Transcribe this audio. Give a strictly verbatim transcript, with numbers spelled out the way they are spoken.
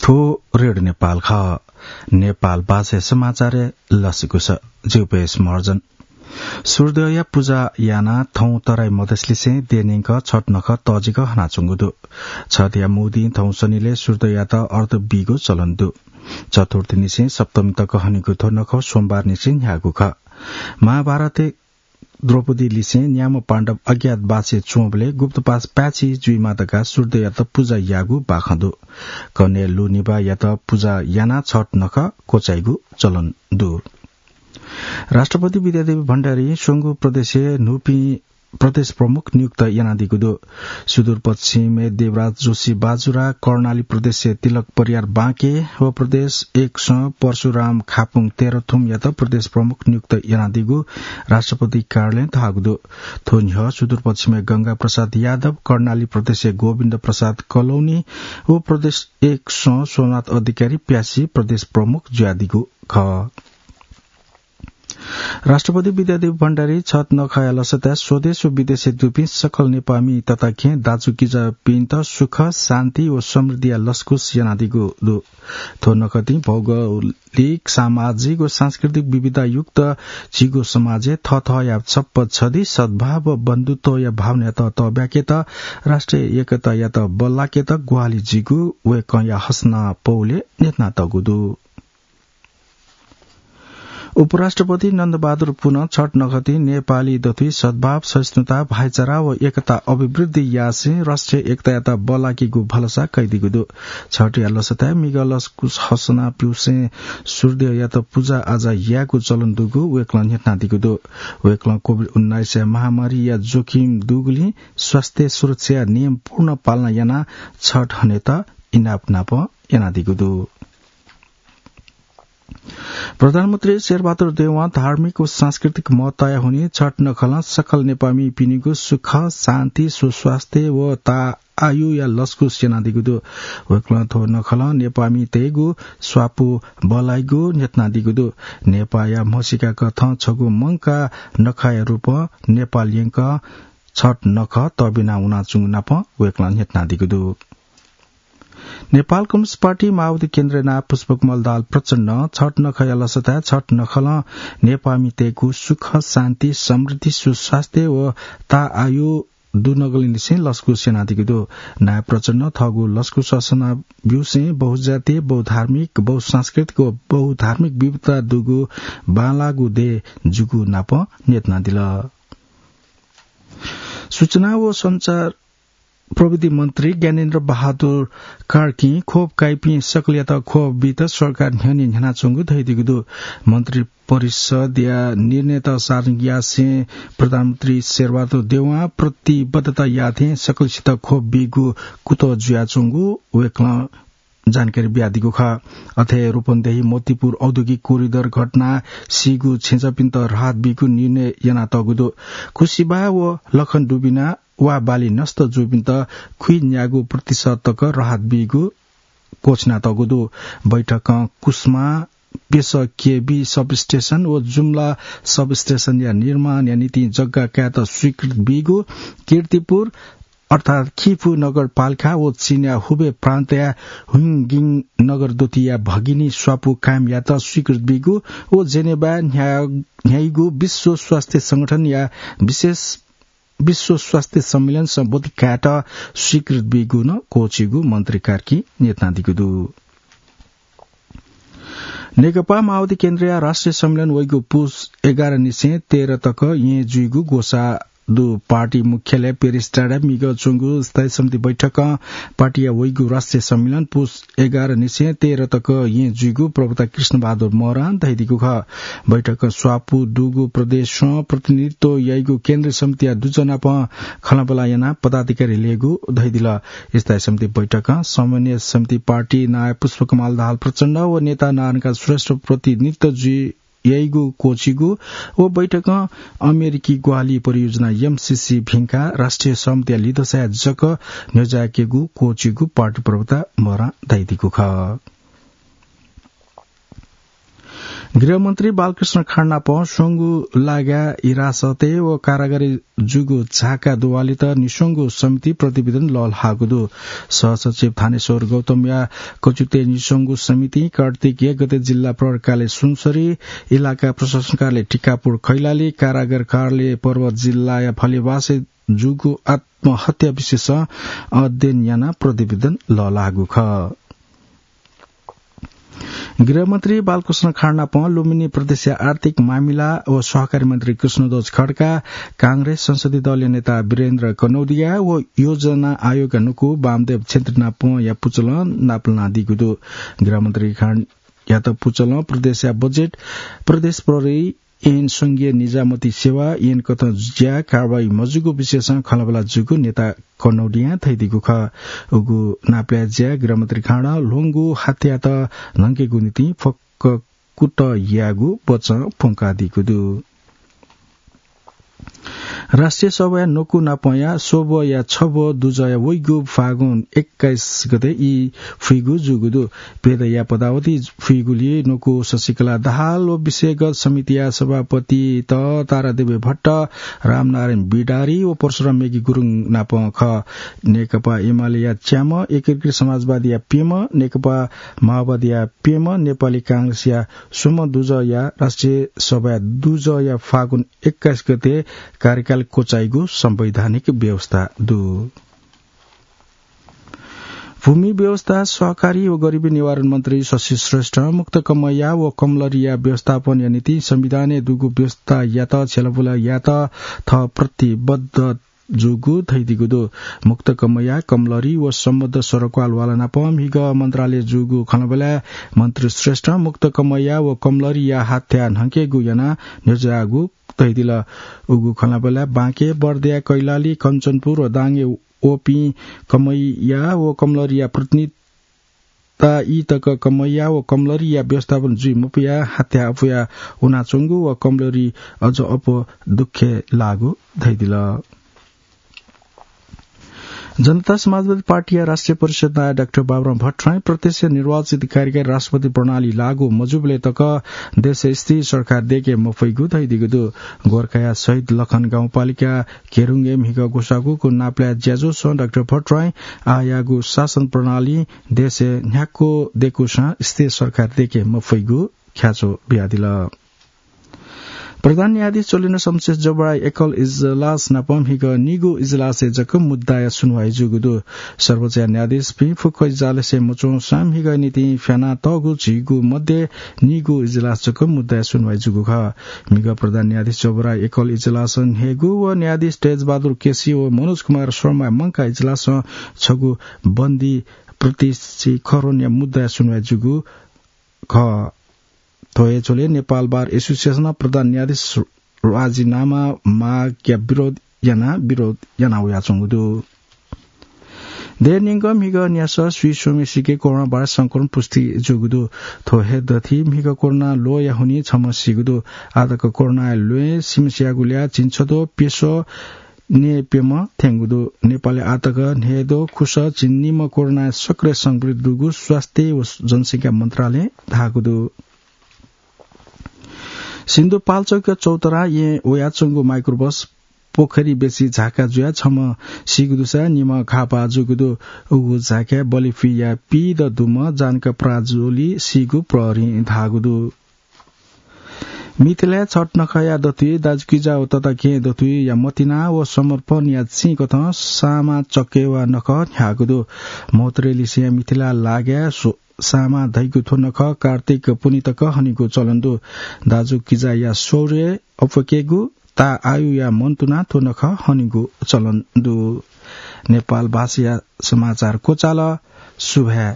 थ्व रेडियो नेपाल खः। नेपाल भाषाया समाचारय् लसकुस। जिगु पेश महर्जन। सूर्यदेवया पुजा यानाः थौं तराई मधेसलिसें देय्‌न्यंक छठ नखः तःजिक हनाच्वंगु दु। छठया मू दिं थौं शनिलय् सूर्यदेवयात अर्घ बीगु चलन दु। चतुर्थीनिसें सप्तमी तक हनीगु थ्व नखः सोमबारनिसें न्ह्याःगु खः। महाभारतय् द्रौपदीलिसें न्याम्ह पाण्डव अज्ञातवासय् च्वंबलय् गुप्तवास पाय्‌छि जुइमाः धकाः सूर्यदेवयात पुजा याःगु बाखं दु। कन्हय् लुनिभाःयात पुजा यानाः छठ नखः क्वचाइगु चलन दु। राष्ट्रपति विद्यादेवी भण्डारीं स्वंगू प्रदेशय् न्हूपिं प्रदेश प्रमुख नियुक्त यानादीगु दु। सुदूरपश्चिमय् देवराज जोशी बाजुरा, कर्णाली प्रदेशय् तिलक परियार बाँके व प्रदेश एकसं परशुराम खापुङ तेह्रथुमयात प्रदेश प्रमुख नियुक्त यानादीगु राष्ट्रपति कार्यालयं धाःगु दु। थ्व न्ह्यः सुदूरपश्चिमय् गंगा प्रसाद यादव, कर्णाली प्रदेशय् गोविन्द प्रसाद कलौनी व प्रदेश एकसं सोमनाथ अधिकारी प्यासी प्रदेश प्रमुख जुयादीगु खः। राष्ट्रपति विद्यादेवी भण्डारी छठ नखःया लसताय् स्वदेश व विदेशय् दुपिं सकल नेपाःमि तताकेहेँ दाजुकिजापिन्त सुख, शान्ति व समृद्धिया लसकुस यानादीगु दु। थ्व नखःतिं भौगोलिक, सामाजिक व सांस्कृतिक विविधतायुक्त झीगु समाजय् थःथःया छप्पँ छधी सद्भाव व बन्धुत्वया भावनायात तःब्याकेत, राष्ट्रिय एकतायात बल्लाकेत ग्वाहालि जुइगु वय्‌कःया हसना पौलय् न्ह्यथनातःगु दु। उपराष्ट्रपति नन्दबहादुर पुनं छठ नखःतिं नेपाली दथुइ सद्भाव, सहिष्णुता, भाइचारा व एकता अभिवृद्धि यासें राष्ट्रिय एकतायात बल्लाकेगु भलसा कयादीगु दु। छठया लसताय् म्हिगः लसकुस हसना ब्यूसें सूर्यदेवयात पुजा आजा यायेगु चलन दुगु वय्‌कलं न्ह्यथनादीगु दु। वय्‌कलं कोभिड उन्नाइसया महामारीया जोखिम दुगुलिं स्वास्थ्य सुरक्षाया नियम पूर्ण पालना यानाः छठ हनेत इनाप नाप यानादीगु दु। प्रधानमन्त्री शेरबहादुर देउवां धार्मिक व सांस्कृतिक महत्ताया हुनिं छठ नखलं सकल नेपाःमिपिनिगु सुख, शान्ति, सुस्वास्थ्य व ताःआयुया लसकुस यानादीगु दु। वय्‌कलं थ्व नखलं नेपाःमितय्‌गु स्वापू बल्लाइगु न्ह्यथनादीगु दु। नेपाःया म्हसीका कथं छगू मंकाः नखःया रूपं नेपाल यंकं छठ नखः तःबिना वनाच्वंगु नापं वय्‌कलं न्ह्यथनादीगु दु। नेपाल कम्युनिस्ट पार्टी माओवादी केन्द्रया नायः पुष्पकमल दाहाल प्रचण्डं छठ नखःया लसताय् छठ नखलं नेपाःमितय्‌गु सुख, शान्ति, समृद्धि, सुस्वास्थ्य व ताःआयु दुनुगलंनिसें लसकुस यानादीगु दु। नायः प्रचण्डं थःगु लसकुस हसना ब्यूसें बहुजातीय, बहुधार्मिक, बहुसांस्कृतिक व बहुधार्मिक विविधता दुगु बांलाःगु देय् जूगु नापं न्ह्यथनादिल। सूचना व सञ्चार प्रविधि मन्त्री ज्ञानेन्द्र बहादुर कार्कीं ख्वप काइपिं सकलयात ख्वप बीत सरकार न्ह्यःने न्ह्यानाच्वंगु धयादीगु दु। मन्त्री परिषदया निर्णयत सार्वजनिक यासें प्रधानमन्त्री शेरबहादुर देउवां प्रतिबद्धता याःथें सकलसित ख्वप बीगु कुतः जुयाच्वंगु वय्‌कलं जानकारी बियादीगु खः। अथे रूपन्देही मोतीपुर औद्योगिक कोरिडर घटनां सीगु छेँचापिन्त राहत बीगु निर्णय यानातःगु दु। खुसिबाः व लखन डुबिना वा बाली नष्ट जूपिन्त खुइन्यागू प्रतिशत तक राहत बीगु घोषणा तःगु दु। बैठकं कुस्मा पेसः केबी सबस्टेसन व जुम्ला सबस्टेसनया निर्माणया निंतिं जग्गा कायेत स्वीकृत बीगु, कीर्तिपुर अर्थात् खिफु नगरपालिका व चीनया हुबे प्रान्तया हुइङगिङ नगर दथुइया भगिनी स्वापू कायम यायेत स्वीकृत बीगु व जेनेवाय् न्ह्या-, न्ह्याइगु विश्व स्वास्थ्य संगठनया विशेष विश्व स्वास्थ्य सम्मेलन सम्बोधित कायेत स्वीकृत बीगु नं क्वःछीगु मन्त्री कार्कीं न्ह्यथनादीगु दु। नेकपा माओवादी केन्द्रया राष्ट्रिय सम्मेलन वइगु पुस एघार निसें तेह्र तक येँ जुइगु ग्वसाः दु। पार्टी मुख्यालय पेरिस टाडाय् म्हिगः च्वंगु स्थायी समिति बैठकं पार्टीया वइगु राष्ट्रिय सम्मेलन पुस एघार निसें तेह्र तक येँ जुइगु प्रवक्ता कृष्णबहादुर महरां धयादीगु खः। बैठकं स्वापू दुगु प्रदेशं प्रतिनिधित्व याइगु केन्द्रीय समितिया दुजः नाप खँल्हाबल्हा यानाः पदाधिकारी ल्ययेगु धयादिल। स्थायी समिति बैठकं समन्वय समिति पार्टी नायः पुष्पकमल दाहाल प्रचण्ड व नेता नारायणकाजी श्रेष्ठ प्रतिनिधित्व जुइ याइगु क्वःछीगु व बैठकं अमेरिकी ग्वाहालि परियोजना एमसीसी भिंकाः राष्ट्रिय सहमतिया लिधसाय् जक न्ह्यज्याकेगु क्वःछीगु पार्टी प्रवक्ता महरां धयादीगु खः। गृहमन्त्री बालकृष्ण खाँड नाप स्वंगु लागा हिरासतय् व कारागारय् जूगु झाका दुवालित निस्वंगु समिति प्रतिवेदन लःल्हाःगु दु। सहसचिव थानेश्वर गौतमया कचुतय् निस्वंगु समितिं कार्तिक एक गते जिल्ला प्रहरी कार्यालय सुनसरी, इलाका प्रशासन कार्यालय टिकापुर कैलाली, कारागार कार्यालय पर्वत जिल्लाया फलेवासय् जूगु आत्महत्या विषयसं अध्ययन यानाः प्रतिवेदन लःल्हाःगु खः। गृहमन्त्री बालकृष्ण खाँड नाप लुम्बिनी प्रदेशया आर्थिक मामिला व सहकारी मन्त्री कृष्णध्वज खड्का, कांग्रेस संसदीय दलया नेता वीरेन्द्र कनौडिया व योजना आयोगया नुकु वामदेव छेत्री नापया पुचलं नापलानादीगु दु। गृहमन्त्री खाँडयात पुचलं प्रदेशया बजेट, प्रदेश प्रहरी, ऐन, संघीय निजामती सेवा, ऐन कथं ज्या कारवाही मजूगु विषयसं खँल्हाबल्हा जूगु नेता कनौडियां धयादीगु खः। उगु नापलाये ज्या गृहमन्त्री खाँडं ल्वंगु हात्यात न्हंकेगु निंतिं फक्क कुतः यायेगु बचं प्वंकादीगु दु। राष्ट्रिय सभाया न्वकू नापया स्वब्वया छब्व दुजया वइगु फागुन एक्काइस गते ई फुइगु जूगु दु। प्यदँया पदावधि फुइगुलिइ न्वकू शशिकला दाहाल व विषयगत समितिया सभापतित तारादेवी भट्ट, रामनारायण बिडारी व परशुराम मेघी गुरुङ नाप खः। नेकपा एमालेया च्याम्ह, एकीकृत समाजवादीया प्यम्ह, नेकपा माओवादीया प्यम्ह, नेपाली कांग्रेसया स्वम्ह दुजया राष्ट्रिय सभाया दुजया फागुन एक्काइस गते कार्यकाल क्वचाइगु संवैधानिक व्यवस्था दु। भूमि व्यवस्था, सहकारी व गरिबी निवारण मन्त्री शशि श्रेष्ठं मुक्त कमैया व कमलरीया व्यवस्थापनया निंतिं संविधानय् दुगु व्यवस्थायात छ्यलाबुला यायेत थः प्रतिबद्ध जूगु धयादीगु दु। मुक्त कमैया, कमलरी व सम्बद्ध सरोकारवाला नाप म्हिगः मन्त्रालय जूगु खँल्हाबल्हाय् मन्त्री श्रेष्ठं मुक्त कमैया व कमलरीया हात्या न्हंकेगु यानाः न्ह्यज्याःगु धयादिल। उगु खँल्हाबल्हाय् बाँके, बर्दिया, कैलाली, कञ्चनपुर व दाङय् वःपिं कमैया व कमलरीया प्रतिनिधि ता ई तक कमैया व कमलरीया व्यवस्थापन जुइ मपुयाः हात्या अपुया वनाच्वंगु व कमलरी अझ अप्वः दुःखय् लाःगु धयादिल। जनता समाजवादी पार्टीया राष्ट्रिय परिषद नायः डाक्टर बाबुराम भट्टराईं प्रत्यक्ष निर्वाचित कार्यकारी राष्ट्रपति प्रणाली लागू मजूबलय् तक देशय् स्थिर सरकार दय्के मफइगु धयादीगु दु। गोरखाया शहीद लखन गाउँपालिका केरुङ्गय् म्हिगः ग्वसाःगुगु नापलाये ज्याझ्वलय् डाक्टर भट्टराईं आःयाःगु शासन प्रणालीं देशय् न्ह्याक्व दय्कूसां स्थिर सरकार दय्के मफइगु ख्याच्वः बियादिल। प्रधान न्यायाधीश चोलेन्द्र शमशेर जबराया एकल इजलास नाप म्हिगः निगू इजलासय् जक मुद्दाया सुनुवाइ जूगु दु। सर्वोच्चया न्यायाधीशपिं फुक्क इजलासय् मच्वंसां म्हिगः निंतिं फ्यानातःगु झिगू मध्ये निगू इजलास जक मुद्दाया सुनुवाइ जूगु खः। म्हिगः प्रधान न्यायाधीश जबराया एकल इजलासं न्हय्गू व न्यायाधीश तेजबहादुर केसी व मनोज कुमार शर्माया मंकाः इजलासं छगू बन्दी प्रतीश खरोनया मुद्दाया सुनुवाइ जूगु खः। थ्व हे झ्वलय् नेपाल बार एसोसिएसनं प्रधान न्यायाधीश राजीनामा मागया विरोध यानाः विरोध याना वयाच्वंगु दु। देय् न्यंक म्हिगः न्यासः स्वीस्वम्हेसिके कोरोना भाइरस संक्रमण पुष्टि जूगु दु। थ्व हे दथुइ म्हिगः कोरोना ल्वःया हुनिं छम्ह सीगु दु। आःतक कोरोनाया ल्वय् सिमसियागुलिया झिंछद्वः प्यसः न्यय्प्यम्ह थ्यंगु दु। नेपालय् आःतक न्हय्द्वः खुसः झिंनिम्ह कोरोनाया सक्रिय संक्रमित दुगु स्वास्थ्य व जनसंख्या मन्त्रालयं धाःगु दु। सिन्धुपाल्चोकया चौतारां येँ वयाच्वंगु माइक्रोबस पोखरी बेसी झाका जुयाः छम्ह सीगु दुसा निम्ह घाःपाः जूगु दु। उगु झाकाय् बलिफिया पीदँ दुम्ह जानका प्राजोली सीगु प्रहरीं धाःगु दु। मिथिलाय् छठ नखःया दथुइ दाजुकिजा व तताकेहेँ दथुइया मतिना व समर्पणया चिं कथं सामा चक्कय् वा नखः न्ह्याःगु दु। महोत्तरी लिसेंया मिथिला लागाय् स्व-, सामा धइगु थ्व नखः कार्तिक पुन्हि तक हनेगु चलन दु। दाजुकिजाया शौर्य अप्वय्केगु, ताःआयुया मन्तुना थ्व नखः हनेगु चलन दु। नेपाल भाषाया समाचार क्वचाल। सुभाय्।